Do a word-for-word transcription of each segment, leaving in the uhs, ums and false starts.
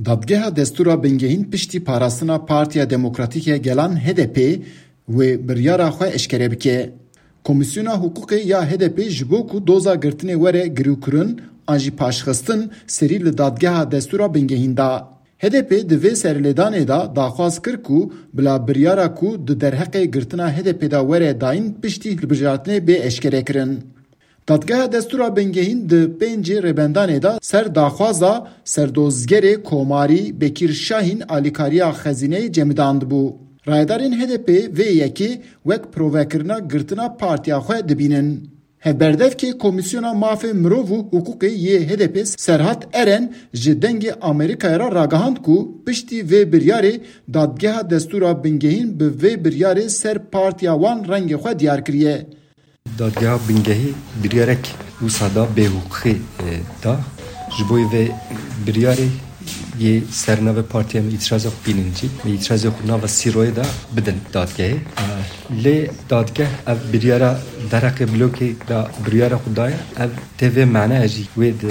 Dadgeha Destûra Bingehîn piştî parastina Partiya Demokratîk ya Gelan, H D P, wê biryara xwe eşkere bike. Komîsyona Hiqûqê ya H D P ji bo ku doza girtinê were girûkirin an jî paşxistin, serî li Dadgeha Destûra Bingehîn da. H D P di vê serlêdanê de daxwaz kir ku bila biryara ku di derheqê girtina H D P de were dayîn piştî hilbijartinê bê eşkerekirin. Dadgeha Destûra Bingehîn di pêncê rêbendanê de ser daxwaza serdozgerê komarî Bekîr Şahîn alîkariya xezîneyê cemidandibû. Rayedarên H D P vê yekê wek provekirina girtina partiya xwe dibînin. Hevberdevkê Komîsyona Mafê Mirov û Hiqûqê yê H D P Serhat Eren ji Dengê Amerîkayê re ragihand ku piştî vê biryarê Dadgeha Destûra Bingehîn bi vê biryarê ser partiya wan rengê xwe diyar kiriye. Dadgeha Bingehî biryarek wisa da bêhiqûqî, e, da. Ji bo vê biryarê yê ser navê partiya me îtirazê xwe bînin jî. Vê îtirazê xwe nava sîroyê de bidin dadgehê. E, lê dadgeh ev biryara derheqê blokê de biryara xwe daye. Ev tê vê mane jî wê di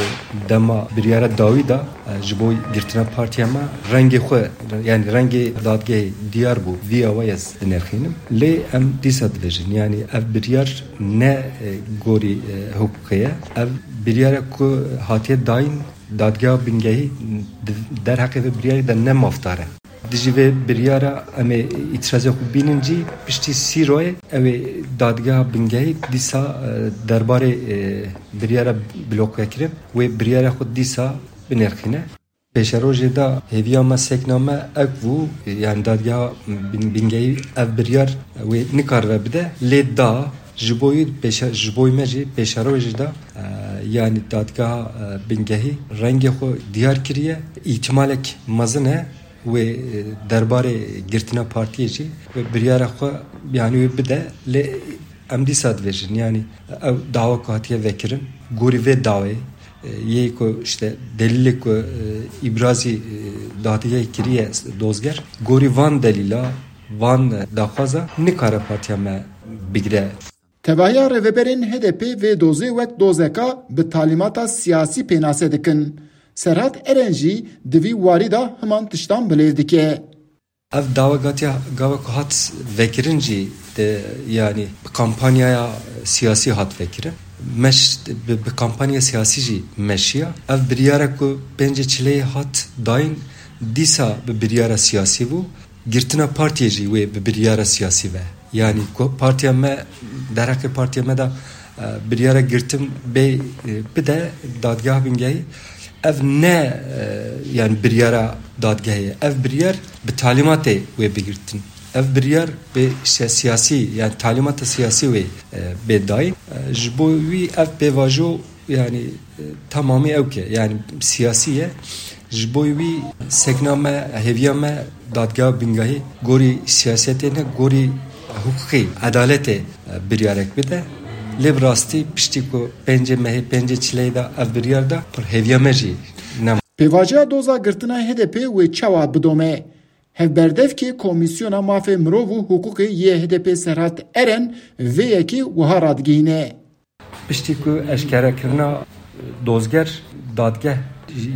dema biryara dawî de, e, ji bo girtina partiya me rengê xwe, yani rengê dadgehê diyar bû. Vî awa ez dinirxînim. Lê em dîsa dibêjin, yani ev biryar ne, e, gorî, e, hiqûqê ye. Ev biryara ku hatiye dayîn, Dadgeha Bingehî di derheqê vê biryarê de ne mafdar e. Dijî vê biryara em ê îtirazê xwe bînin jî piştî sîroyê ew ê Dadgeha Bingehî dîsa, e, derbarê, e, biryara blokekirin wê biryara xwe dîsa binirxîne. Pêşerojê de hêviya me, sekna me ew bû, yani Dadgeha Bin-, Bingehî ev biryar wê nikaribe bide, lê da ji bo wî pêşe-, ji bo me jî pêşerojê de, e, yani Dadgeha, e, Bingehî rengê xwe diyar kiriye. Îhtimalek mezin e wê, e, derbarê girtina partiyê jî wê biryara xwe, yani wê bide, lê em dîsa dibêjin, yani ew dawa ku hatiye vekirin, gorî vê dawê, e, yê ku işte delîlê ku, e, îbrazî, e, dadgehê kiriye dozger, gorî van delîla, van, e, daxwaza nikare partiya me bigire. Tevahiya rêveberên H D P vê dozê wek dozeka bi talîmata siyasî pênase dikin. Serhat Eren jî di vî warî de himan tiştan bilêv dike. Ev dawa gatiya gava ku hat vekirin jî de, yani bi kampanyaya siyasî hat vekirin. Meş, bi, bi kampanya siyasî jî meşiya. Ev biryara ku pêncê çileyê hat dayîn, dîsa bi biryara siyasî bû. Girtina partiyê jî wê bi biryara siyasî ve. Yani ku partiya me, derheqê partiya me de, e, biryara girtin bê, e, bide dadgeha bingehî. Ev ne, e, yani biryara dadgehê ye. Ev biryar bi talîmatê wê bigirtin. Ev biryar bi işte siyasî, yani talîmata siyasî wê, e, bê dayîn. E, ji bo wî ev pêvajo yani, e, tamamî ewk e. Yani siyasî ye. Ji bo wî sekna me, hêviya me dadgeha bingehî gorî siyasetê ne, gorî hiqûqî, edaletê, e, biryarek bide. Lê bi rastî piştî ku pêncê mehê, pêncê çileyê de ev biryar da, pir hêviya me jî nema. Pêvajoya doza girtina H D P wê çawa bidome? Hevberdevkê Komîsyona Mafê Mirov û Hiqûqê yê H D P Serhat Eren vê yekê wiha radigihîne. Piştî ku eşkerekirina dozger, dadgeh,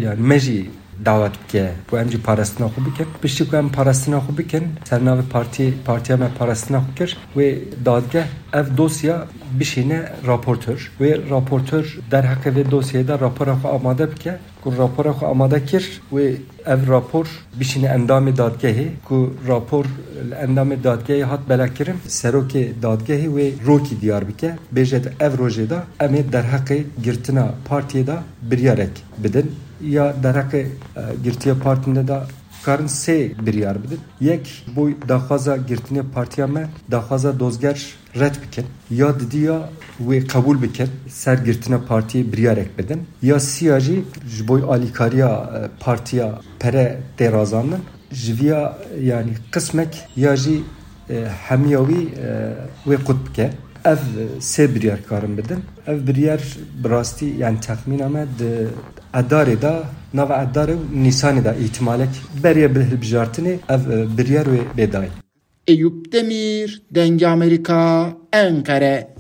yani me jî dawet bike ku em jî parastina xwe bikin. Piştî ku em parastina xwe bikin, ser navê partî-, partiya me parastina xwe kir, wê dadgeh ev dosya bişîne raportor. Wê raportor derheqê vê dosyayê de rapora xwe amade bike. Ku rapora xwe amade kir, wê ev rapor bişîne endamê dadgehê, ku rapor li endamê dadgehê hat belakirin, serokê dadgehê wê rokî diyar bike, bêje di ev rojê de em ê derheqê girtina partiyê de biryarek bidin, ya derheqê, e, girtiya partiyê de karin sê biryar bidin. Yek, bo daxwaza girtinê partiya me, daxwaza dozger red bikin, ya didiya wê qebûl bikin, ser girtina partiyê biryarek bidin, ya siya jî ji bo alîkariya, e, partiya pere tê razandin, ji viya, yani qismek ya jî, e, hemiya wî, e, wê qut bike. Ev, e, sê biryar karin bidin. Ev biryar bi rastî, yani texmîna me di edarê de, nava edarê û nîsanê de îhtimalek beriye bi hilbijartinê ev, e, biryar wê bê dayîn. Eyûp Demîr, Dengê Amerîka, Enqere.